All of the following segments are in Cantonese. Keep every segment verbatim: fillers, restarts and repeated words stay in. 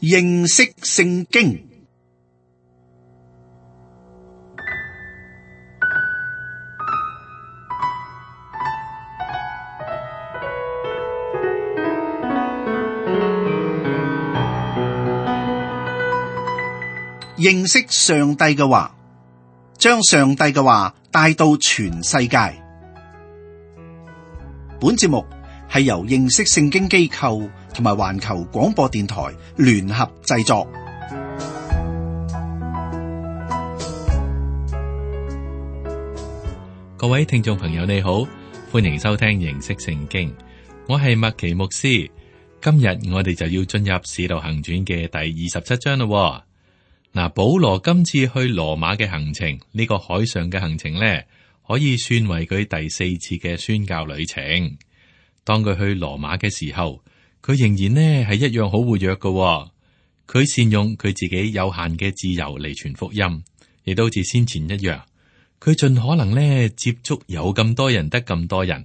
認識聖經。認識上帝嘅話，將上帝嘅話帶到全世界。本節目係由認識聖經機構同埋環球廣播電台聯合製作。各位聽眾朋友你好，歡迎收聽認識聖經，我係麥奇牧師。今日我哋就要進入使徒行傳嘅第二十七章咯。嗱，保羅今次去羅馬嘅行程，呢、這個海上嘅行程呢，可以算為佢第四次嘅宣教旅程。當佢去羅馬嘅時候，佢仍然呢係一樣好活躍嘅。佢善用佢自己有限嘅自由嚟傳福音，亦都好似先前一樣。佢盡可能呢接觸有咁多人得咁多人，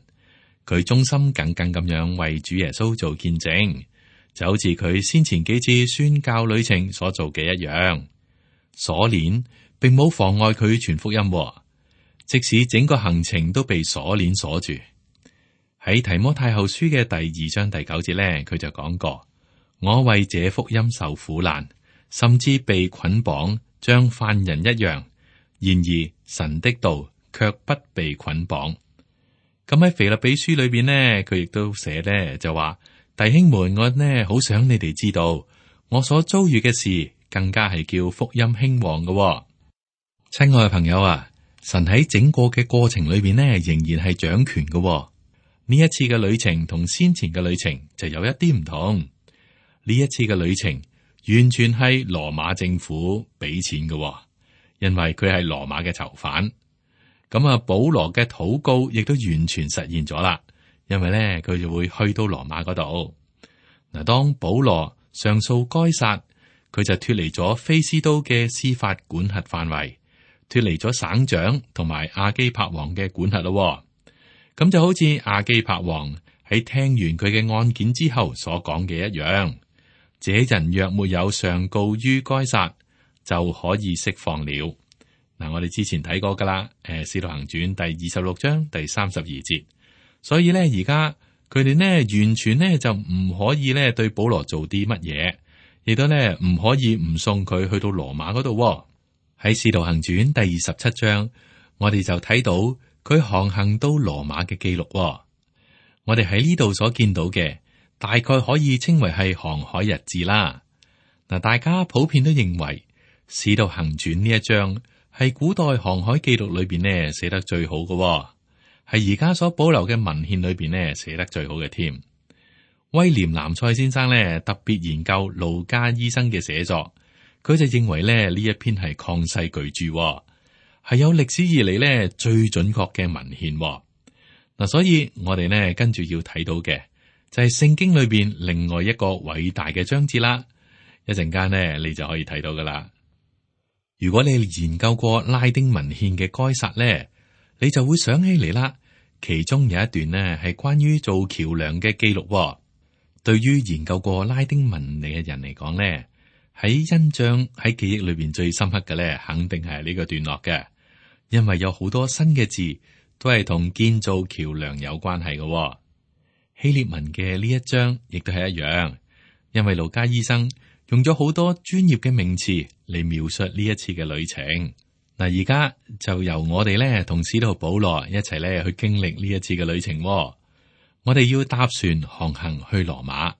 佢忠心耿耿咁樣為主耶穌做見證，就好似佢先前幾次宣教旅程所做嘅一樣。鎖鏈並冇妨礙佢傳福音，即使整個行程都被鎖鏈鎖住。喺提摩太後書嘅第二章第九節咧，佢就講過：我為這福音受苦難，甚至被捆綁，像犯人一樣。然而神的道卻不被捆綁。咁喺腓立比書裏邊呢，佢亦都寫咧就話：弟兄們，我呢好想你哋知道，我所遭遇嘅事。更加係叫福音興旺嘅。哦，親愛嘅朋友啊，神喺整個嘅過程裏邊呢，仍然係掌權嘅。哦。呢一次嘅旅程同先前嘅旅程就有一啲唔同。呢一次嘅旅程完全係羅馬政府俾錢嘅。哦，因為佢係羅馬嘅囚犯。咁啊，保羅嘅禱告亦都完全實現咗啦，因為咧佢就會去到羅馬嗰度。嗱，當保羅上訴該撒，佢就脫離咗菲斯都嘅司法管轄範圍，脫離咗省長同埋亞基帕王嘅管轄咯。咁就好似亞基帕王喺聽完佢嘅案件之後所講嘅一樣，這人若沒有上告於該撒，就可以釋放了。嗱，我哋之前睇過噶啦，誒，《使徒行傳》第二十六章第三十二節。所以咧，而家佢哋呢完全呢就唔可以咧對保羅做啲乜嘢。亦都咧唔可以唔送佢去到羅馬嗰度。喺《使徒行傳》第二十七章，我哋就睇到佢航行到羅馬嘅記錄。我哋喺呢度所見到嘅，大概可以稱為係航海日誌啦。嗱，大家普遍都認為《使徒行傳》呢一章係古代航海記錄裏邊呢寫得最好嘅，係而家所保留嘅文獻裏邊呢寫得最好嘅添。威廉南塞先生咧特別研究路加醫生嘅寫作，佢就認為咧呢一篇係曠世巨著，係有歷史以嚟咧最準確嘅文獻。嗱，所以我哋呢跟住要睇到嘅就係聖經裏邊另外一個偉大嘅章節啦。一陣間呢你就可以睇到噶啦。如果你研究過拉丁文獻嘅該撒咧，你就會想起嚟啦。其中有一段呢係關於做橋梁嘅記錄。對於研究過拉丁文嘅人嚟講咧，喺印象喺記憶裏邊最深刻嘅咧，肯定係呢個段落嘅，因為有好多新嘅字都係同建造橋梁有關係嘅。希臘文嘅呢一章亦都係一樣，因為路加醫生用咗好多專業嘅名詞嚟描述呢一次嘅旅程。嗱，而家就由我哋咧同使徒保羅一齊咧去經歷呢一次嘅旅程。我哋要搭船航行去羅馬，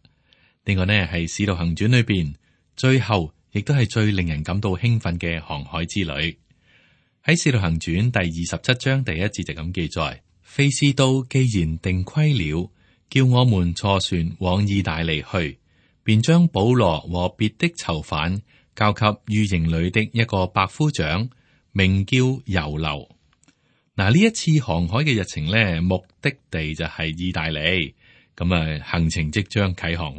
呢個呢係使徒行傳裏邊最後亦都係最令人感到興奮嘅航海之旅。喺使徒行傳第二十七章第一節就咁記載：菲斯都既然定規了，叫我們坐船往意大利去，便將保羅和別的囚犯交給御營裏的一個百夫長，名叫猶流。嗱，呢一次航海嘅日程咧，目的地就係意大利，咁啊行程即將啟航。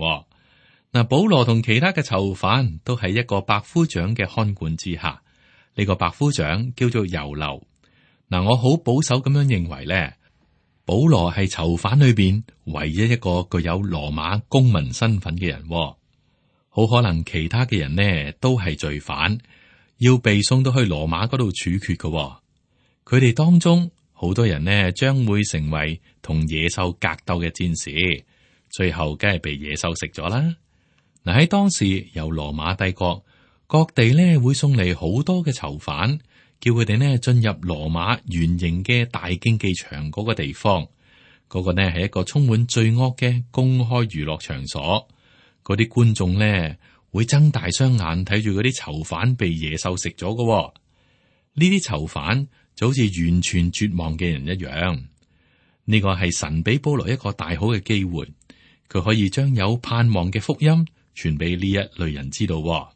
嗱，保羅同其他嘅囚犯都喺一個百夫長嘅看管之下，呢個百夫長叫做猶流。嗱，我好保守咁樣認為咧，保羅係囚犯裏邊唯一一個具有羅馬公民身份嘅人。好可能其他嘅人呢都係罪犯，要被送到去羅馬嗰度處決嘅、哦。佢哋當中好多人呢將會成為同野獸格鬥嘅戰士，最後梗係被野獸食咗啦。嗱，喺當時由羅馬帝國各地呢會送嚟好多嘅囚犯，叫佢哋呢進入羅馬圓形嘅大競技場嗰個地方。嗰個呢係一個充滿罪惡嘅公開娛樂場所，嗰啲觀眾呢會睜大雙眼睇住嗰啲囚犯被野獸食咗嘅。呢啲囚犯就好似完全絕望嘅人一樣。呢個係神俾保羅一個大好嘅機會，佢可以將有盼望嘅福音傳俾呢一類人知道。嗱，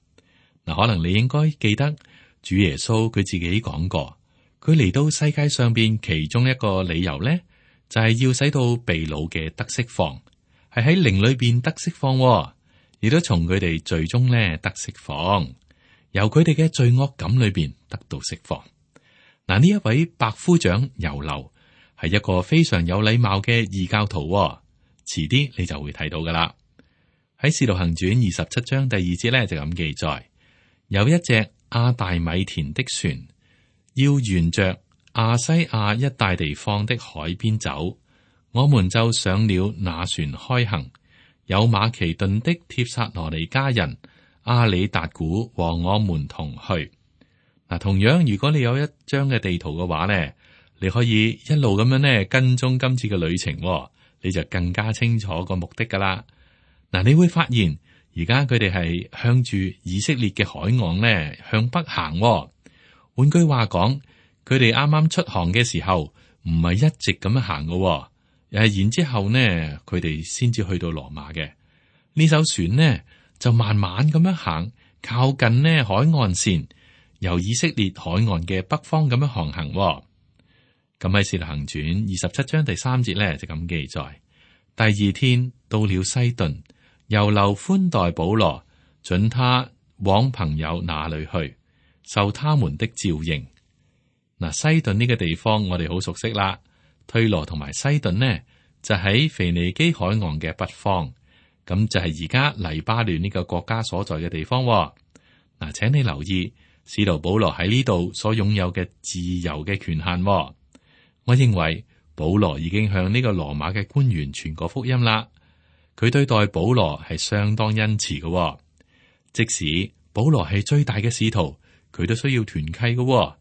可能你應該記得主耶穌佢自己講過，佢嚟到世界上邊其中一個理由呢，就係要使到被擄嘅得釋放，係喺靈裏邊得釋放，亦都從佢哋罪中呢得釋放，由佢哋嘅罪惡感裏邊得到釋放。嗱，呢一位百夫長猶流係一個非常有禮貌嘅異教徒，遲啲你就會睇到噶啦。喺《使徒行傳》二十七章第二節咧就咁記載，有一隻亞大米田的船，要沿着亞西亞一帶地方的海邊走，我們就上了那船開行，有馬其頓的帖撒羅尼迦人阿里達古和我們同去。嗱，同樣如果你有一張嘅地圖嘅話咧，你可以一路咁樣咧跟蹤今次嘅旅程，你就更加清楚個目的噶啦。嗱，你會發現而家佢哋係向住以色列嘅海岸咧向北行。換句話講，佢哋啱啱出航嘅時候唔係一直咁樣行嘅，誒，然之後呢佢哋先至去到羅馬嘅。呢艘船呢就慢慢咁樣行，靠近呢海岸線，由以色列海岸嘅北方咁樣航行。咁喺《使徒行傳》二十七章第三節咧就咁記載：第二天到了西頓，猶流寬待保羅，准他往朋友那裏去，受他們的召應。嗱，西頓呢個地方我哋好熟悉啦。推羅同埋西頓呢就喺腓尼基海岸嘅北方，咁就係而家黎巴嫩呢個國家所在嘅地方。嗱，請你留意使徒保羅喺呢度所擁有嘅自由嘅權限。我認為保羅已經向呢個羅馬嘅官員傳過福音啦。佢對待保羅係相當恩慈嘅，即使保羅係最大嘅使徒，佢都需要團契嘅，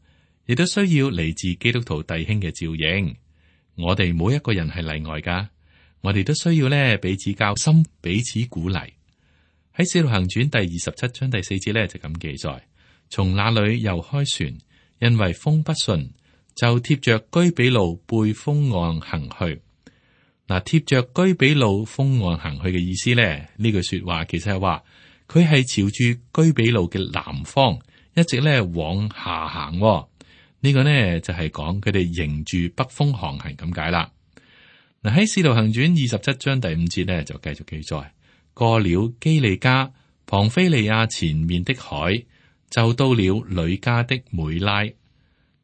亦都需要嚟自基督徒弟兄嘅照應。我哋冇一個人係例外噶，我哋都需要咧彼此交心，彼此鼓勵。喺《使徒行傳》第二十七章第四節咧就咁記載：從那裏又開船，因為風不順，就貼着居比路背風岸行去。嗱，貼着居比路風岸行去嘅意思咧，呢句說話其實係話佢係朝住居比路嘅南方，一直咧往下行。呢個呢就係講佢哋迎住北風航行咁解啦。嗱，喺《使徒行傳》二十七章第五節呢，就繼續記載：過了基利加、龐菲利亞前面的海，就到了呂家的梅拉。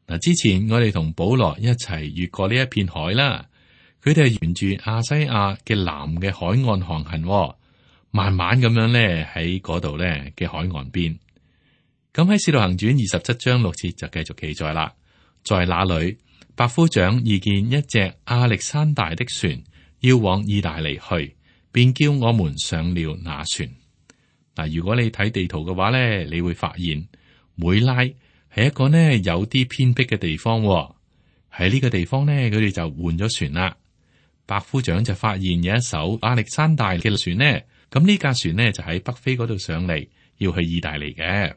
嗱，之前我哋同保羅一齊越過呢一片海啦，佢哋係沿住亞西亞嘅南嘅海岸航行，慢慢咁樣咧喺嗰度咧嘅海岸邊。咁喺《使徒行傳》二十七章六節就繼續記載啦，在那裏百夫長遇見一隻亞歷山大的船，要往意大利去，便叫我們上了那船。嗱，如果你睇地圖嘅話咧，你會發現梅拉係一個呢有啲偏僻嘅地方。喺呢個地方呢，佢哋就換咗船啦。百夫長就發現有一艘亞歷山大嘅船呢，咁呢架船呢就喺北非嗰度上嚟，要去意大利嘅。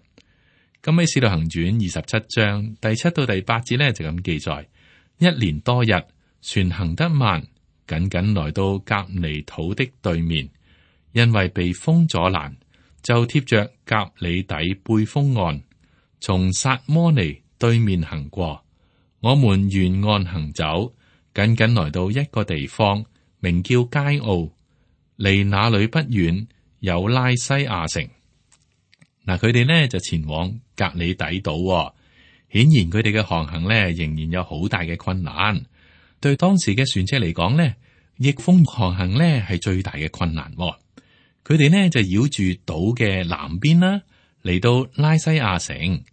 咁喺《使徒行傳》二十七章第七到第八節呢，就咁記載：一連多日，船行得慢，僅僅來到革尼土的對面，因為被風阻攔，就貼着革里底背風岸，從撒摩尼對面行過。我們沿岸行走，僅僅來到一個地方，名叫佳奧，離那裏不遠有拉西亞城。嗱，佢哋呢就前往革里底島，顯然佢哋嘅航行呢仍然有好大嘅困難。對當時嘅船隻嚟講呢，逆風航行呢係最大嘅困難。佢佢哋呢就繞住島嘅南邊啦，嚟到拉西亞城。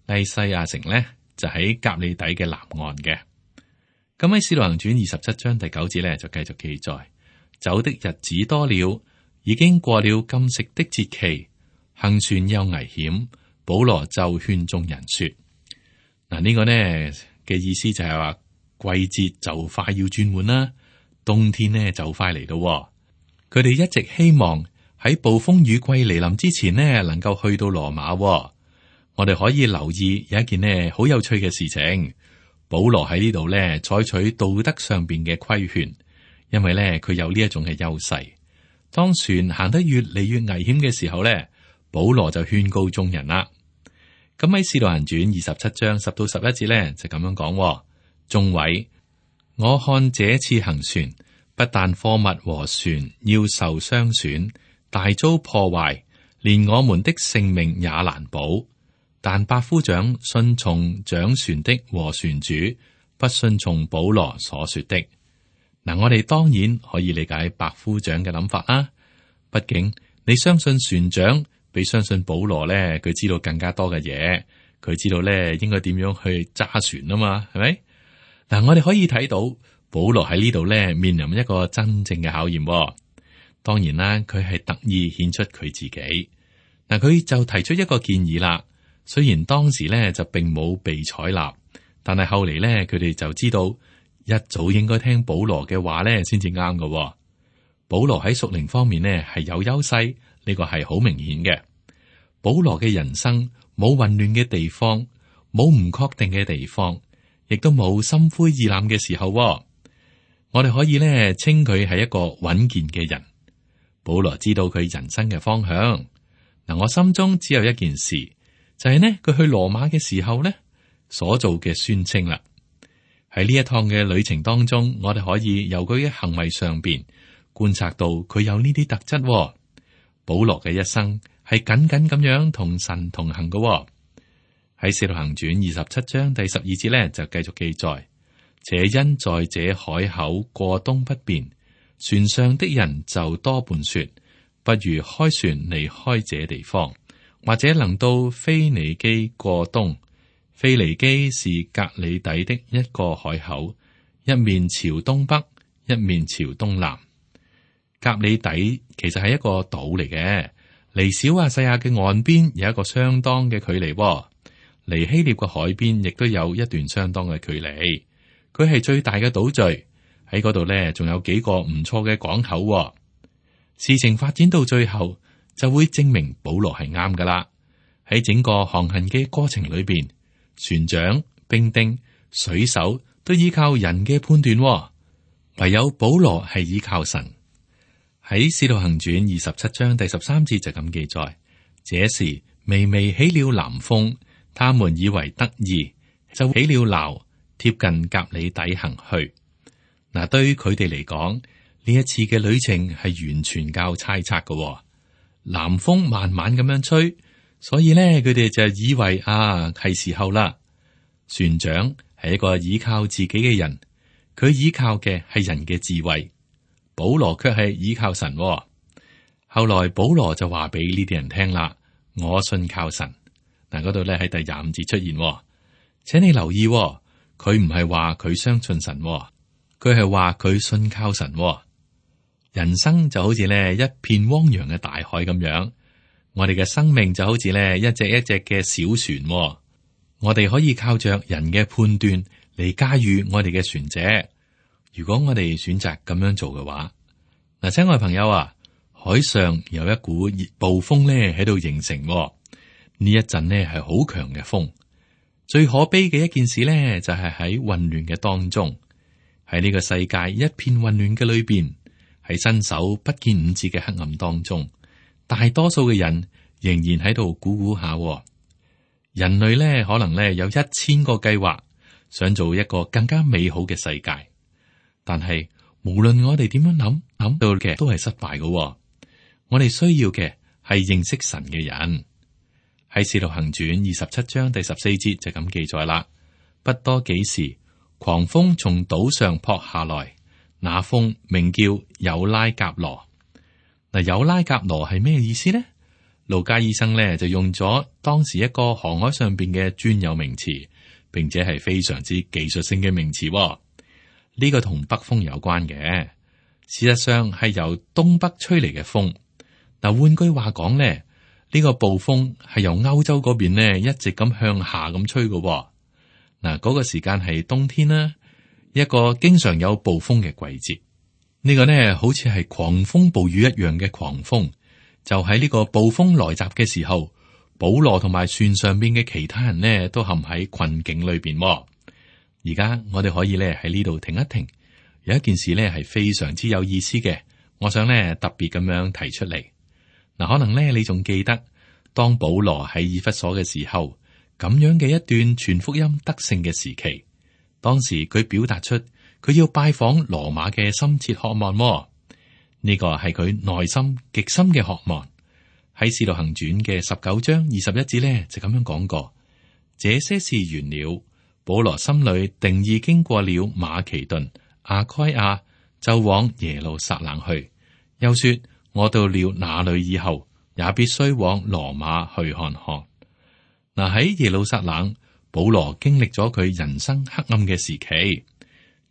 拉西亞城呢就喺革哩底嘅南岸嘅。咁喺《使徒行傳》二十七章第九節呢就繼續記載：走的日子多了，已經過了禁食的節期，行船又危險。保羅就勸眾人說：嗱，呢個呢嘅意思就係話季節就快要轉換啦，冬天呢就快嚟到。佢哋一直希望喺暴風雨季嚟臨之前呢，能夠去到羅馬。我哋可以留意有一件呢好有趣嘅事情，保羅喺呢度呢採取道德上邊嘅規勸，因為呢佢有呢一種嘅優勢。當船行得越嚟越危險嘅時候呢，保羅就勸告眾人啦。咁喺《使徒行傳》二十七章十到十一節呢，就咁樣講：眾位，我看這次行船，不但貨物和船要受傷損，大遭破壞，連我們的性命也難保。但百夫長順從掌船的和船主，不順從保羅所說的。嗱，我哋當然可以理解百夫長嘅諗法啦。畢竟你相信船長，比相信保羅咧，佢知道更加多嘅嘢，佢知道咧應該點樣去揸船啊嘛，係咪？嗱，我哋可以睇到保羅喺呢度咧面臨一個真正嘅考驗。當然啦，佢係特意顯出佢自己。嗱，佢就提出一個建議啦。雖然當時咧就並冇被採納，但係後嚟咧佢哋就知道一早應該聽保羅嘅話咧先至啱嘅。保羅喺屬靈方面呢係有優勢，呢個係好明顯嘅。保羅嘅人生冇混亂嘅地方，冇唔確定嘅地方，亦都冇心灰意冷嘅時候。我哋可以咧稱佢係一個穩健嘅人。保羅知道佢人生嘅方向。嗱，我心中只有一件事。就係呢，佢去羅馬嘅時候呢，所做嘅宣稱啦。喺呢一趟嘅旅程當中，我哋可以由佢嘅行為上邊觀察到佢有呢啲特質。保羅嘅一生係緊緊咁樣同神同行嘅。喺《使徒行傳》二十七章第十二節呢，就繼續記載：且因在這海口過冬不便，船上的人就多半說，不如開船離開這地方。或者能到腓尼基過冬。腓尼基是革哩底的一個海口，一面朝東北，一面朝東南。革哩底其實係一個島嚟嘅，離小亞細亞嘅岸邊有一個相當嘅距離，離希臘嘅海邊亦都有一段相當嘅距離。佢係最大嘅島嶼，喺嗰度呢，仲有幾個唔錯嘅港口。事情發展到最後，就會證明保羅係啱噶啦。喺整個航行嘅過程裏邊，船長、兵丁、水手都依靠人嘅判斷，唯有保羅係依靠神。喺《使徒行傳》二十七章第十三節就咁記載：這時微微起了南風，他們以為得意，就起了錨，貼近革哩底行去。嗱，對於佢哋嚟講，呢一次嘅旅程係完全靠猜測嘅。南風慢慢咁樣吹，所以咧佢哋就以為啊係時候啦。船長係一個依靠自己嘅人，佢依靠嘅係人嘅智慧。保羅卻係依靠神。後來保羅就話俾呢啲人聽啦：我信靠神。嗱，嗰度咧喺第廿五節出現，請你留意，佢唔係話佢相信神，佢係話佢信靠神。人生就好似咧一片汪洋嘅大海咁樣，我哋嘅生命就好似咧一隻一隻嘅小船，我哋可以靠着人嘅判斷嚟駕馭我哋嘅船隻。如果我哋選擇咁樣做嘅話，嗱，親愛朋友啊，海上有一股熱暴風咧喺度形成，呢一陣呢係好強嘅風。最可悲嘅一件事咧，就係喺混亂嘅當中，喺呢個世界一片混亂嘅裏邊。喺伸手不見五指嘅黑暗當中，大多數嘅人仍然喺度估估下。人類咧可能咧有一千個計劃，想做一個更加美好嘅世界，但係無論我哋點樣諗，諗到嘅都係失敗嘅。我哋需要嘅係認識神嘅人。喺《使徒行傳》二十七章第十四節就咁記載啦。不多幾時，狂風從島上撲下來。那風名叫有拉甲羅。嗱，有拉甲羅係咩意思呢？路加醫生咧就用咗當時一個航海上邊嘅專有名詞，並且係非常之技術性嘅名詞。呢個同北風有關嘅，事實上係由東北吹嚟嘅風。嗱，換句話講咧，呢個暴風係由歐洲嗰邊咧一直咁向下咁吹嘅。嗱，嗰個時間係冬天啦，一個經常有暴風嘅季節。呢個呢好似係狂風暴雨一樣嘅狂風。就喺呢個暴風來襲嘅時候，保羅同埋船上邊嘅其他人呢都陷喺困境裏邊。而家我哋可以咧喺呢度停一停，有一件事呢係非常之有意思嘅，我想呢特別咁樣提出嚟。嗱，可能呢你仲記得當保羅喺以弗所嘅時候，咁樣嘅一段傳福音得勝嘅時期，當時佢表達出佢要拜訪羅馬嘅深切渴望。呢個係佢內心極深嘅渴望。喺《使徒行傳》嘅十九章二十一節呢，就咁樣講過：這些事完了，保羅心裏定意經過了馬其頓、亞該亞，就往耶路撒冷去。又說：我到了那裏以後，也必須往羅馬去看看。嗱，喺耶路撒冷，保羅經歷咗佢人生黑暗嘅時期，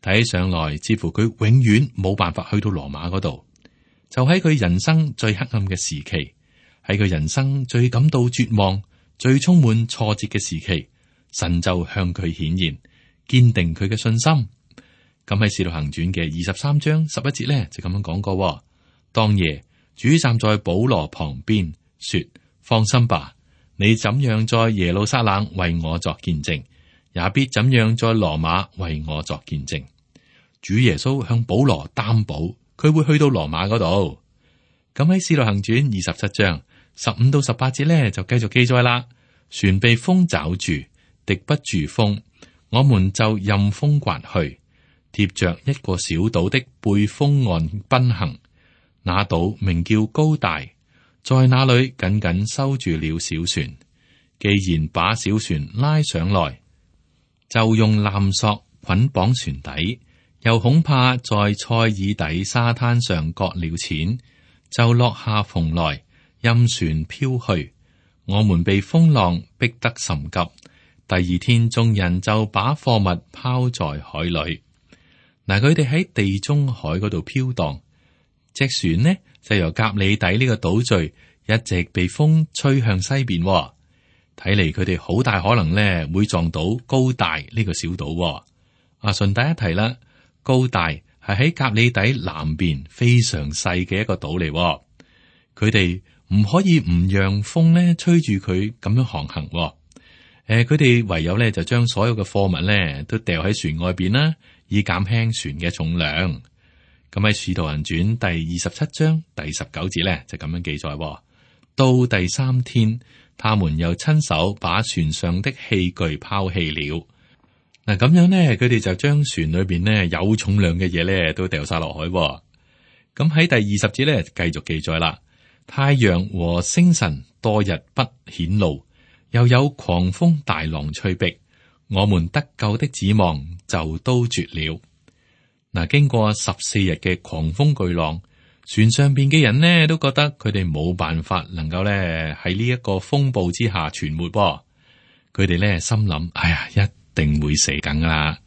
睇起上來似乎佢永遠冇辦法去到羅馬嗰度。就喺佢人生最黑暗嘅時期，喺佢人生最感到絕望、最充滿挫折嘅時期，神就向佢顯現，堅定佢嘅信心。咁喺《使徒行傳》嘅二十三章十一節咧，就咁樣講過：當夜，主站在保羅旁邊，說：放心吧，你怎樣在耶路撒冷為我作見證，也必怎樣在羅馬為我作見證。主耶穌向保羅擔保。佢會去到羅馬嗰度。咁喺《使徒行傳》二十七章十五到十八節咧，就繼續記載啦。船被風抓住，敵不住風，我們就任風刮去，貼着一個小島的背風岸奔行。那島名叫高大，在那裏緊緊收住了小船。既然把小船拉上來，就用纜索捆綁船底。又恐怕在塞爾底沙灘上擱了淺，就落下蓬來，任船飄去。我們被風浪逼得甚急。第二天，眾人就把貨物拋在海裏。嗱，佢哋喺地中海嗰度飄蕩，隻船呢就由革哩底呢個島嶼一直被風吹向西邊。睇嚟佢哋好大可能呢會撞到高大呢個小島。啊，順帶一提啦。高大係喺革哩底南邊非常細嘅一個島嚟，佢哋唔可以唔讓風咧吹住佢咁樣航行。誒、呃，佢哋唯有咧就將所有嘅貨物咧都掉喺船外邊啦，以減輕船嘅重量。咁喺《使徒行傳》第二十七章第十九節咧就咁樣記載：到第三天，他們又親手把船上的器具拋棄了。嗱，咁樣咧，佢哋就將船裏邊咧有重量嘅嘢咧都掉晒落海。咁喺第二十節咧繼續記載啦，太陽和星辰多日不顯露，又有狂風大浪吹逼，我們得救的指望就都絕了。嗱，經過十四日嘅狂風巨浪，船上邊嘅人呢都覺得佢哋冇辦法能夠咧喺呢一個風暴之下存活。佢哋咧心諗：哎呀，一定會死梗噶啦！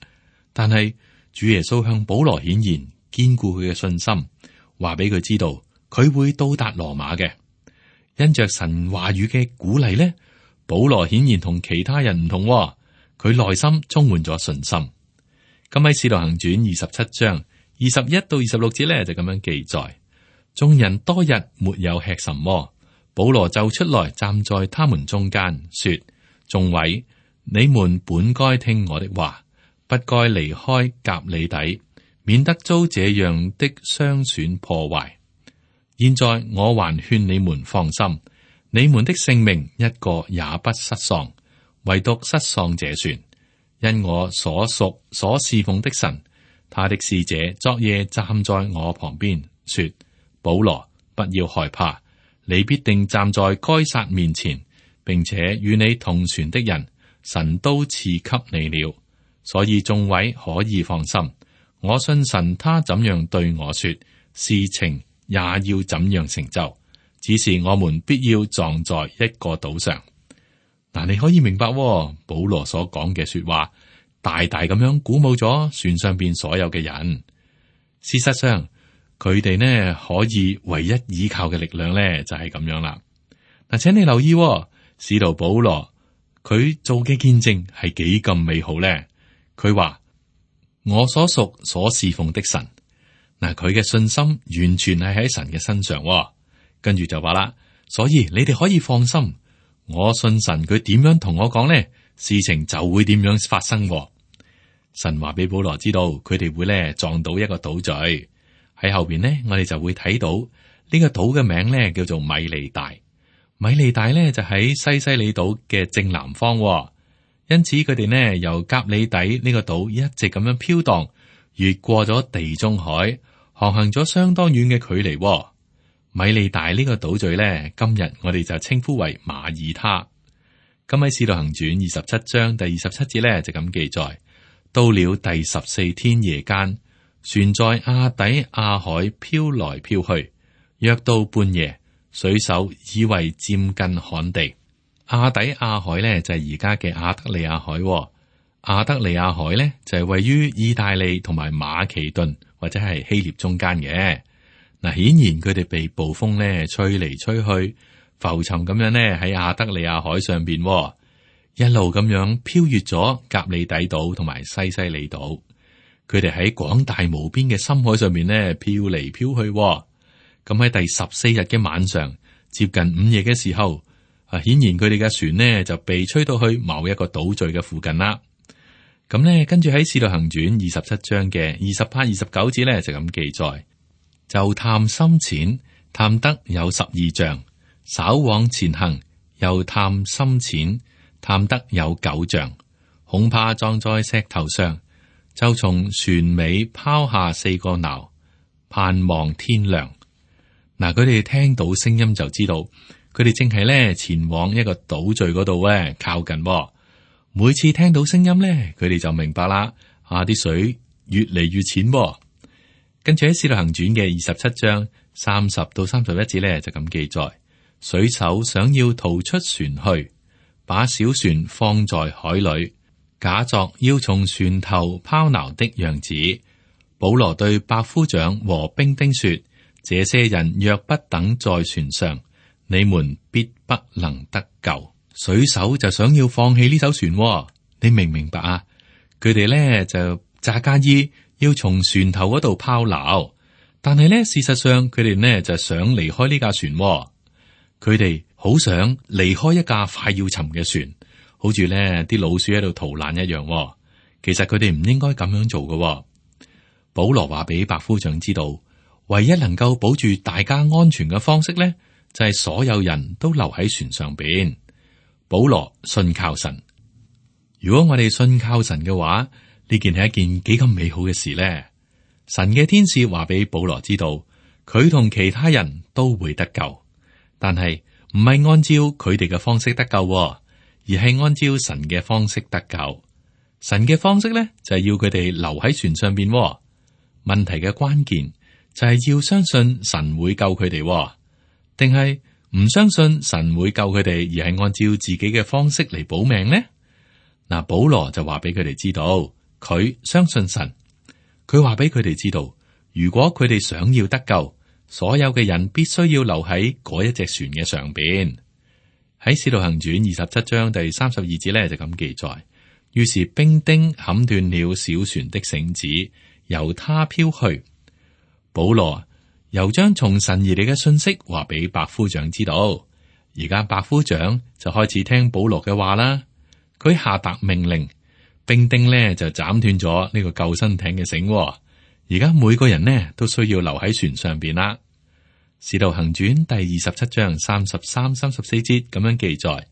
但係主耶穌向保羅顯現，堅固佢嘅信心，話俾佢知道佢會到達羅馬嘅。因着神話語嘅鼓勵咧，保羅顯然同其他人唔同，佢內心充滿咗信心。咁喺《使徒行傳》二十七章二十一到二十六節咧就咁樣記載：眾人多日沒有吃什麼，保羅就出來站在他們中間，說：眾位，你們本該聽我的話，不該離開革哩底，免得遭這樣的傷損破壞。現在我還勸你們放心，你們的性命一個也不失喪，唯獨失喪這船，因我所屬所侍奉的神，他的使者昨夜站在我旁邊，說：保羅，不要害怕，你必定站在該撒面前，並且與你同船的人，神都賜給你了，所以眾位可以放心。我信神，他怎樣對我說，事情也要怎樣成就，只是我們必要撞在一個島上。嗱，你可以明白喎，保羅所講嘅說話，大大咁樣鼓舞咗船上邊所有嘅人。事實上，佢哋呢可以唯一依靠嘅力量呢，就係咁樣啦。嗱，請你留意喎，使徒保羅佢做嘅見證係幾咁美好呢？佢話我所屬所侍奉的神，嗱，佢嘅信心完全係喺神嘅身上喎。跟住就話啦，所以你哋可以放心，我信神，佢點樣同我講呢，事情就會點樣發生喎。神話俾保羅知道，佢哋會咧撞到一個島嶼。喺後邊呢，我哋就會睇到呢個島嘅名咧叫做米利大。米利大咧就喺西西里島嘅正南方喎，因此佢哋呢由甲里底呢個島一直咁樣飄蕩，越過咗地中海，航行咗相當遠嘅距離喎。米利大呢個島嶼咧，今日我哋就稱呼為馬耳他。咁喺《使徒行傳》二十七章第二十七節咧就咁記載：到了第十四天夜間，船在亞底亞海飄來飄去，約到半夜，水手以為漸近旱地。亞底亞海咧就係而家嘅亞得里亞海喎。亞得里亞海咧就係位於意大利同埋馬其頓或者係希臘中間嘅。嗱，顯然佢哋被暴風咧吹嚟吹去，浮沉咁樣咧喺亞得里亞海上邊，一路咁樣飄越咗甲里底島同埋西西里島。佢哋喺廣大無邊嘅深海上面咧飄嚟飄去。咁喺第十四日嘅晚上，接近午夜嘅時候，啊，顯然佢哋嘅船呢就被吹到去某一個島嶼嘅附近啦。咁咧，跟住喺《使徒行傳》二十七章嘅二十八、二十九節咧就咁記載。就探深淺，探得有十二丈；稍往前行，又探深淺，探得有九丈。恐怕撞在石頭上，就從船尾拋下四個錨，盼望天亮。嗱，佢哋聽到聲音就知道，佢哋正係咧前往一個島嶼嗰度咧靠近。每次聽到聲音咧，佢哋就明白啦。啊，啲水越嚟越淺。跟住喺《使徒行傳》嘅二十七章三十到三十一節咧，就咁記載：水手想要逃出船去，把小船放在海裏，假作要從船頭拋錨的樣子。保羅對百夫長和兵丁說：這些人若不等在船上，你們必不能得救。水手就想要放棄呢艘船，你明唔明白啊？佢哋咧就詐假意要從船頭嗰度拋錨，但係咧事實上佢哋呢就想離開呢架船。佢哋好想離開一架快要沉嘅船，好似咧啲老鼠喺度逃難一樣。其實佢哋唔應該咁樣做嘅。保羅話俾百夫長知道，唯一能夠保住大家安全嘅方式咧，就係所有人都留喺船上邊。保羅信靠神。如果我哋信靠神嘅話，呢件係一件幾咁美好嘅事呢？神嘅天使話俾保羅知道，佢同其他人都會得救，但係唔係按照佢哋嘅方式得救，而係按照神嘅方式得救。神嘅方式咧就係要佢哋留喺船上邊。問題嘅關鍵就係要相信神會救佢哋，定係唔相信神會救佢哋，而係按照自己嘅方式嚟保命呢？嗱，保羅就話俾佢哋知道。佢相信神，佢話俾佢哋知道，如果佢哋想要得救，所有嘅人必須要留喺嗰一隻船嘅上邊。喺《使徒行傳》二十七章第三十二節咧就咁記載：於是兵丁砍斷了小船的繩子，由他飄去。保羅又將從神而嚟嘅信息話俾百夫長知道。而家百夫長就開始聽保羅嘅話啦。佢下達命令。兵丁咧就斬斷咗呢個救生艇嘅繩，而家每個人呢都需要留喺船上邊啦。使徒行傳第二十七章三十三、三十四節咁樣記載：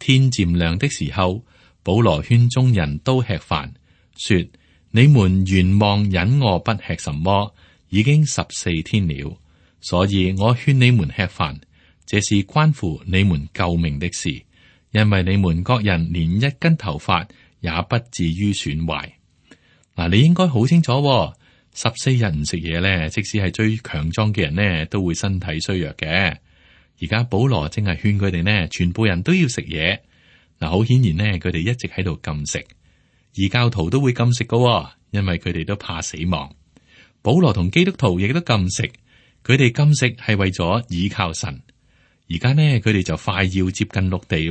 天漸亮的時候，保羅勸眾人都吃飯，說：你們原望忍餓不吃什麼，已經十四天了，所以我勸你們吃飯，這是關乎你們救命的事，因為你們各人連一根頭髮也不至於損壞。嗱，你應該好清楚，十四日唔食嘢咧，即使係最強壯嘅人呢，都會身體衰弱嘅。而家保羅正係勸佢哋呢，全部人都要食嘢。嗱，好顯然呢，佢哋一直喺度禁食，異教徒都會禁食噶，因為佢哋都怕死亡。保羅同基督徒亦都禁食，佢哋禁食係為咗倚靠神。而家呢，佢哋就快要接近陸地，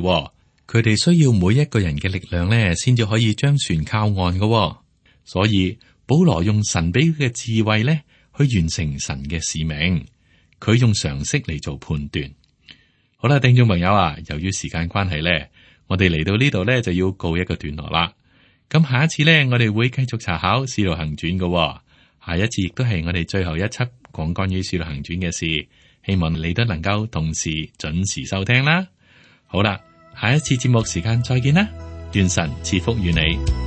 佢哋需要每一個人嘅力量呢，先至可以將船靠岸噶。所以保羅用神俾佢嘅智慧呢，去完成神嘅使命。佢用常識嚟做判斷。好啦，聽眾朋友啊，由於時間關係咧，我哋嚟到呢度咧就要告一個段落啦。咁下一次咧，我哋會繼續查考《使徒行傳》嘅。下一次亦都係我哋最後一輯講關於《使徒行傳》嘅事。希望你都能夠同時準時收聽啦。好啦，下一次節目時間再見啦。願神賜福與你。